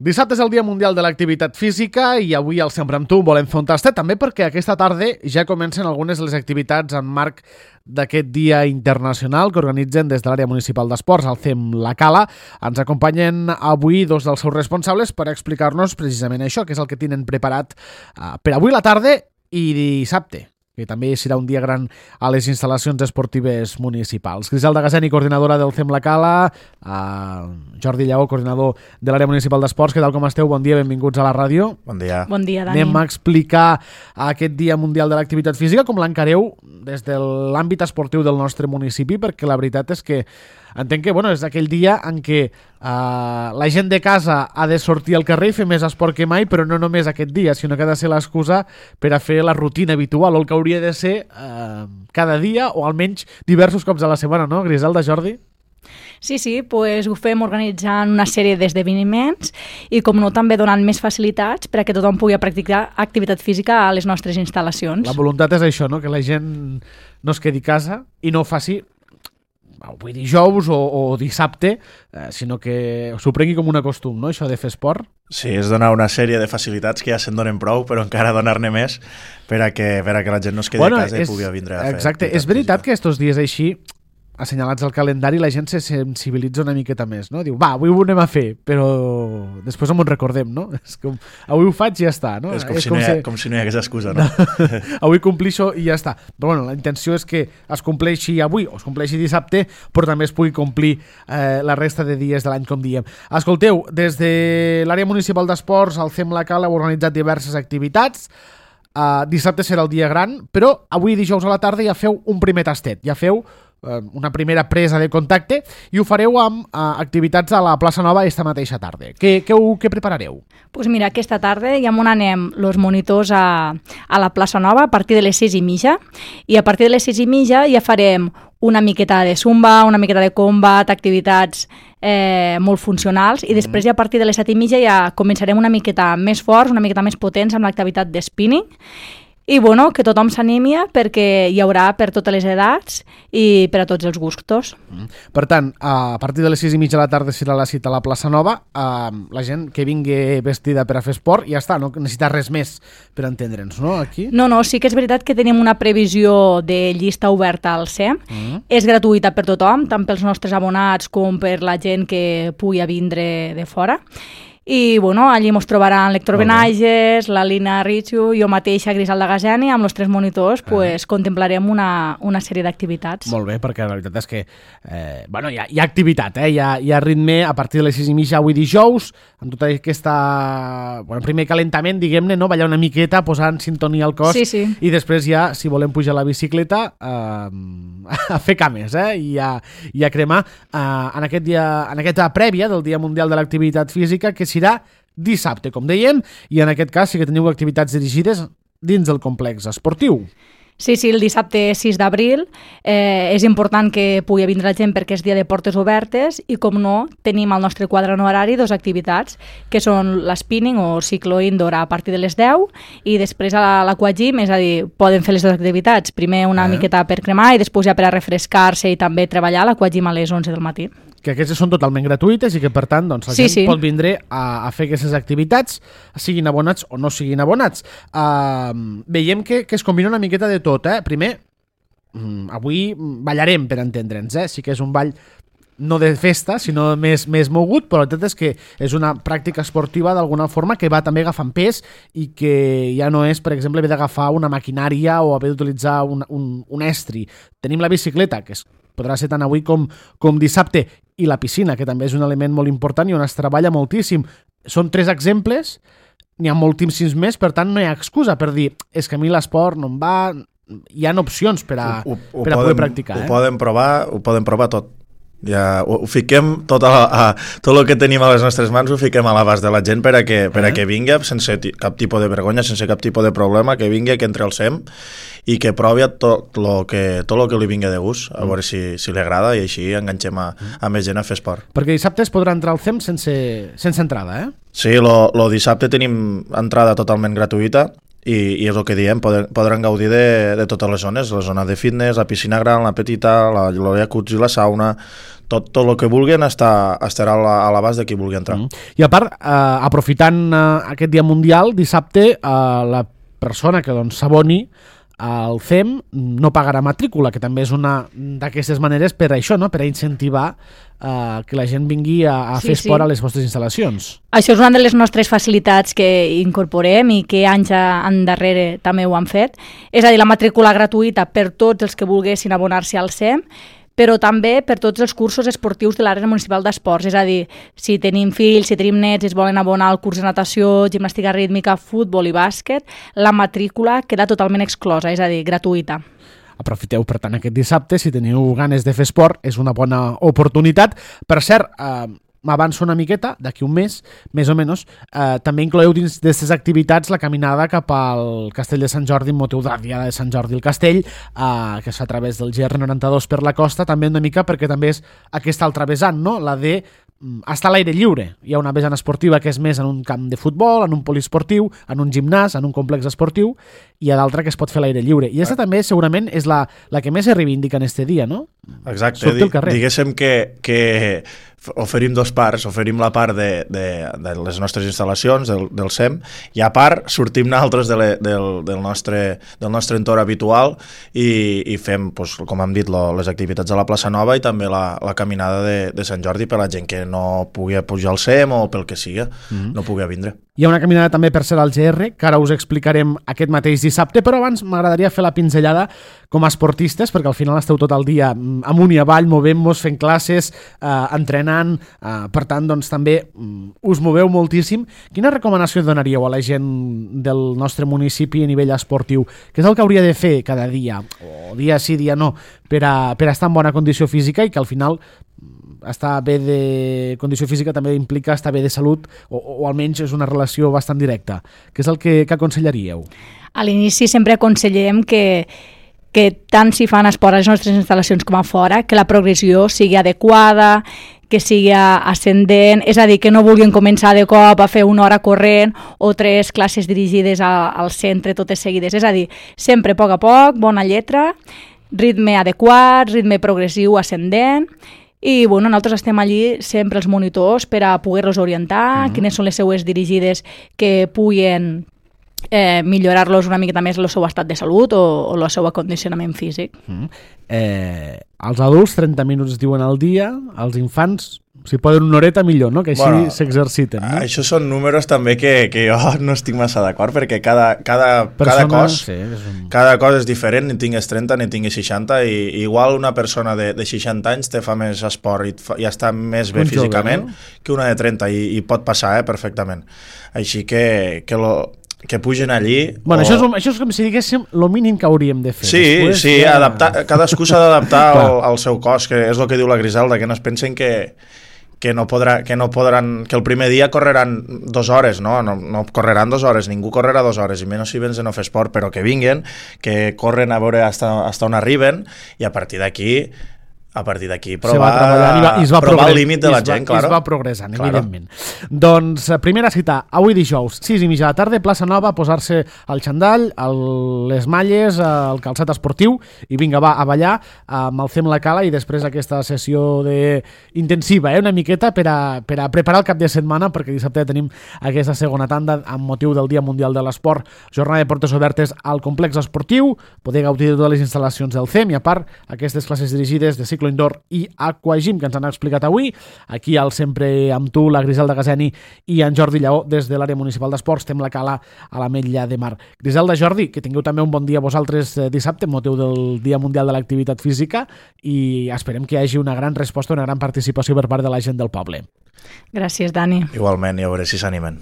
Dissabte és el Dia Mundial de l'Activitat Física i avui al Sempre amb tu volem fer un tastet, també perquè aquesta tarda ja comencen algunes de les activitats en marc d'aquest dia internacional que organitzen des de l'àrea municipal d'esports, el CEM La Cala. Ens acompanyen avui dos dels seus responsables per explicar-nos precisament això, que és el que tenen preparat per avui la tarda i dissabte, que també serà un dia gran a les instal·lacions esportives municipals. Griselda Gaseni, coordinadora del CEM La Cala, Jordi Lleó, coordinador de l'àrea municipal d'esports. Què tal, com esteu? Bon dia, benvinguts a la ràdio. Bon dia. Bon dia, Dani. Anem a explicar aquest Dia Mundial de l'Activitat Física, com l'encareu des de l'àmbit esportiu del nostre municipi, perquè la veritat és que entenc que és aquell dia en què la gent de casa ha de sortir al carrer i fer més esport que mai, però no només aquest dia, sinó que ha de ser l'excusa per a fer la rutina habitual, o el que hauria de ser cada dia, o almenys diversos cops a la setmana, no, Griselda, Jordi? Sí, pues ho fem organitzant una sèrie d'esdeveniments i, com no, també donant més facilitats per a que tothom pugui practicar activitat física a les nostres instal·lacions. La voluntat és això, no? Que la gent no es quedi a casa i no ho faci avui dijous o dissabte, sinó que s'ho prengui com un costum, no?, això de fer esport. Sí, és donar una sèrie de facilitats que ja se'n donen prou, però encara donar-ne més per a que la gent no es quedi a casa i pugui vindre a fer. Exacte, és veritat que estos dies així, assenyalats al calendari, la gent se sensibilitza una miqueta més, no? Diu, avui ho anem a fer, però després no m'ho recordem, no? És com, avui ho faig i ja està, no? És com si no hi hagués excusa, no? Avui complixo i ja està. Però la intenció és que es compleixi avui o es compleixi dissabte, però també es pugui complir la resta de dies de l'any, com diem. Escolteu, des de l'àrea municipal d'esports, el CEM La Cala ha organitzat diverses activitats. Dissabte serà el dia gran, però avui dijous a la tarda ja feu un primer tastet, ja feu una primera presa de contacte i ho fareu amb activitats a la plaça Nova esta mateixa tarda. Què preparareu? Pues mira, aquesta tarda ja m'on anem els monitors a la plaça Nova a partir de les 6:30 i a partir de les 6:30 ja farem una miqueta de zumba, una miqueta de combat, activitats molt funcionals i després ja a partir de les 7:30 ja començarem una miqueta més forts, una miqueta més potents amb l'activitat de spinning. I que tothom s'animi perquè hi haurà per totes les edats i per a tots els gustos. Per tant, a partir de les 6:30 de la tarda serà la cita a la plaça Nova. La gent que vingui vestida per a fer esport ja està, no necessita res més per entendre'ns, no? Aquí? No, sí que és veritat que tenim una previsió de llista oberta al CEM. És gratuïta per tothom, tant pels nostres abonats com per la gent que pugui vindre de fora. I allí ens trobaran l'Héctor Benages, la Lina Richu, jo mateixa, Griselda Gaseni, amb els 3 monitors contemplarem una sèrie d'activitats. Molt bé, perquè la veritat és que hi ha activitat, hi ha ritme a partir de les 6:30 avui dijous, amb tota aquesta primer calentament, diguem-ne, no? Ballar una miqueta, posar en sintonia el cos sí. I després ja, si volem pujar a la bicicleta, a fer cames i a cremar en aquesta prèvia del Dia Mundial de l'Activitat Física, que serà dissabte, com dèiem, i en aquest cas sí que teniu activitats dirigides dins del complex esportiu. Sí, el dissabte 6 d'abril és important que pugui vindre la gent perquè és dia de portes obertes i, com no, tenim al nostre quadre horari 2 activitats, que són l'spinning o ciclo indoor a partir de les 10 i després a l'aquagym, és a dir, poden fer les 2 activitats, primer una miqueta per cremar i després ja per a refrescar-se i també treballar a l'aquagym a les 11 del matí. Que aquestes són totalment gratuïtes i que, per tant, la gent pot vindre a fer aquestes activitats, siguin abonats o no siguin abonats. Veiem que es combina una miqueta de tot, Primer, avui ballarem, per entendre'ns, Sí que és un ball no de festa, sinó més mogut, però la veritat és que és una pràctica esportiva d'alguna forma que va també agafant pes i que ja no és, per exemple, haver d'agafar una maquinària o haver d'utilitzar un estri. Tenim la bicicleta, que podrà ser tant avui com dissabte, i la piscina, que també és un element molt important i on es treballa moltíssim. Són 3 exemples, n'hi ha moltíssims més, per tant no hi ha excusa per dir és que a mi l'esport no em va. Hi ha opcions per a poder practicar. Ho poden provar tot. Ja ho fiquem tot el que tenim a les nostres mans ho fiquem a l'abast de la gent per a que vingui sense cap tipus de vergonya, sense cap tipus de problema, que vingui, que entre al CEM i que provi tot el que li vingui de gust, a veure si li agrada i així enganxem a més gent a fer esport. Perquè dissabte es podrà entrar al CEM sense entrada, Sí, el dissabte tenim entrada totalment gratuïta i és el que diem, podran gaudir de totes les zones, la zona de fitness, la piscina gran, la petita, la jacuzzi, la sauna, tot el que vulguin estarà a l'abast de qui vulgui entrar. I a part, aprofitant aquest dia mundial, dissabte la persona que s'aboni al CEM no pagarà matrícula, que també és una d'aquestes maneres per això, no? Per a incentivar que la gent vingui a fer esport a les vostres instal·lacions. Això és una de les nostres facilitats que incorporem i que anys endarrere també ho han fet. És a dir, la matrícula gratuïta per tots els que volguessin abonar-se al CEM, però també per tots els cursos esportius de l'àrea municipal d'esports. És a dir, si tenim fills, si tenim nets i es volen abonar al curs de natació, gimnàstica rítmica, futbol i bàsquet, la matrícula queda totalment exclosa, és a dir, gratuïta. Aprofiteu, per tant, aquest dissabte, si teniu ganes de fer esport, és una bona oportunitat. Per cert, m'avanço una miqueta, d'aquí un mes, més o menys, també incloeu dins d'aquestes activitats la caminada cap al Castell de Sant Jordi, amb motiu de la Diada de Sant Jordi al Castell, que es fa a través del GR92 per la costa, també una mica perquè també és aquesta altra vessant, no? La de estar a l'aire lliure. Hi ha una vessant esportiva que és més en un camp de futbol, en un poliesportiu, en un gimnàs, en un complex esportiu, i hi ha d'altra que es pot fer a l'aire lliure. I aquesta també segurament és la que més se reivindica en este dia, no? Exacte, diguéssim que oferim dos parts, oferim la part de les nostres instal·lacions, del CEM, i a part sortim nosaltres del nostre entorn habitual i fem, com hem dit, les activitats a la plaça Nova i també la caminada de Sant Jordi per la gent que no pugui pujar al CEM o pel que siga, no pugui vindre. Hi ha una caminada també per ser al GR, que ara us explicarem aquest mateix dissabte, però abans m'agradaria fer la pinzellada com a esportistes, perquè al final esteu tot el dia amunt i avall, movent-vos, fent classes, entrenant, per tant, doncs també us moveu moltíssim. Quina recomanació donaríeu a la gent del nostre municipi a nivell esportiu? Què és el que hauria de fer cada dia, o dia sí, dia no, per a estar en bona condició física i que al final estar bé de condició física també implica estar bé de salut o almenys és una relació bastant directa. Què és el que aconsellaríeu? A l'inici sempre aconsellem que tant si fan esport a les nostres instal·lacions com a fora, que la progressió sigui adequada, que sigui ascendent, és a dir, que no vulguin començar de cop a fer una hora corrent o 3 classes dirigides al centre totes seguides. És a dir, sempre a poc, bona lletra, ritme adequat, ritme progressiu ascendent. I nosaltres estem allí sempre els monitors per a poder-los orientar, quines són les seues dirigides que puguin millorar-los una miqueta més el seu estat de salut o el seu acondicionament físic. Els adults 30 minuts diuen al dia, els infants si poden una horeta millor, no? Que així s'exerciten. No? Això són números també que jo no estic massa d'acord perquè cada cos és diferent, ni tingues 30 ni tingues 60 i igual una persona de 60 anys te fa més esport i està més bé físicament que una de 30 i pot passar perfectament. Així que pugen allí... Bueno, això és com si diguéssim el mínim que hauríem de fer. Sí, cadascú s'ha d'adaptar al seu cos, que és el que diu la Griselda, que no es pensen que no podran, que el primer dia correran 2 hores, no correran 2 hores, ningú correrà 2 hores, i menys si vens de no fer esport, però que vinguen, que corren a veure hasta on arriben, i a partir d'aquí provar el límit de la gent, claro. I es va progressant, evidentment. Doncs primera cita, avui dijous, 6:30 de la tarda, plaça Nova, posar-se el xandall, les malles, el calçat esportiu, i vinga, va, a ballar amb el CEM La Cala, i després aquesta sessió intensiva, una miqueta, per a preparar el cap de setmana, perquè dissabte tenim aquesta segona tanda amb motiu del Dia Mundial de l'Esport, jornada de portes obertes al complex esportiu, poder gaudir de totes les instal·lacions del CEM, i a part, aquestes classes dirigides de cicle indoor i aquagym que ens han explicat avui, aquí al Sempre amb tu, la Griselda Gazeni i en Jordi Lleó des de l'àrea municipal d'esports, Tem La Cala a l'Ametlla de Mar. Griselda, Jordi, que tingueu també un bon dia vosaltres dissabte amb motiu del Dia Mundial de l'Activitat Física, i esperem que hi hagi una gran resposta, una gran participació per part de la gent del poble. Gràcies, Dani. Igualment, i a veure si s'animen.